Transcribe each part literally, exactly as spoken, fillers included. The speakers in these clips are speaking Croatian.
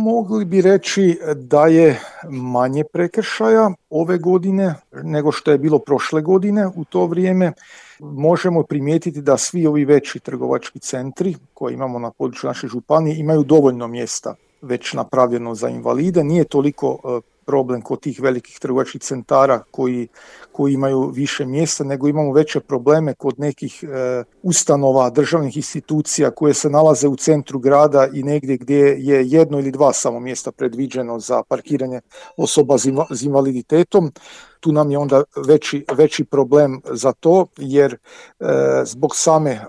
Mogli bi reći da je manje prekršaja ove godine nego što je bilo prošle godine u to vrijeme. Možemo primijetiti da svi ovi veći trgovački centri koje imamo na području naše županije imaju dovoljno mjesta već napravljeno za invalide. Nije toliko problem kod tih velikih trgovačkih centara koji, koji imaju više mjesta, nego imamo veće probleme kod nekih e, ustanova, državnih institucija koje se nalaze u centru grada i negdje gdje je jedno ili dva samo mjesta predviđeno za parkiranje osoba s invaliditetom. Tu nam je onda veći, veći problem za to, jer e, zbog same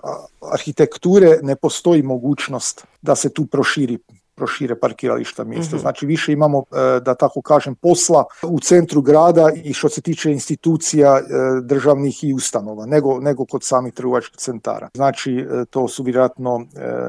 arhitekture ne postoji mogućnost da se tu proširi prošire parkirališta mjesta. Mm-hmm. Znači više imamo, da tako kažem, posla u centru grada i što se tiče institucija državnih i ustanova, nego, nego kod samih trgovačkih centara. Znači to su vjerojatno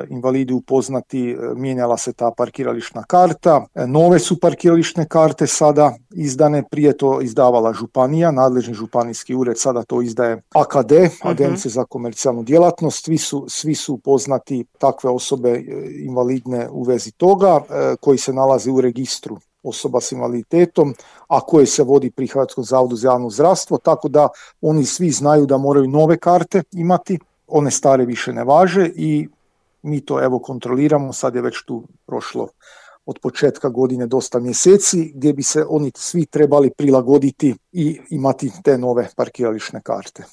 invalidi upoznati, mijenjala se ta parkirališna karta, nove su parkirališne karte sada izdane, prije to izdavala županija, nadležni županijski ured, sada to izdaje A K D, mm-hmm. Agencija za komercijalnu djelatnost, svi su, svi su upoznati takve osobe invalidne u vezi toga koji se nalazi u registru osoba s invaliditetom, a koje se vodi pri Hrvatskom zavodu za javno zdravstvo, tako da oni svi znaju da moraju nove karte imati, one stare više ne važe i mi to evo kontroliramo, sad je već tu prošlo od početka godine dosta mjeseci gdje bi se oni svi trebali prilagoditi i imati te nove parkirališne karte.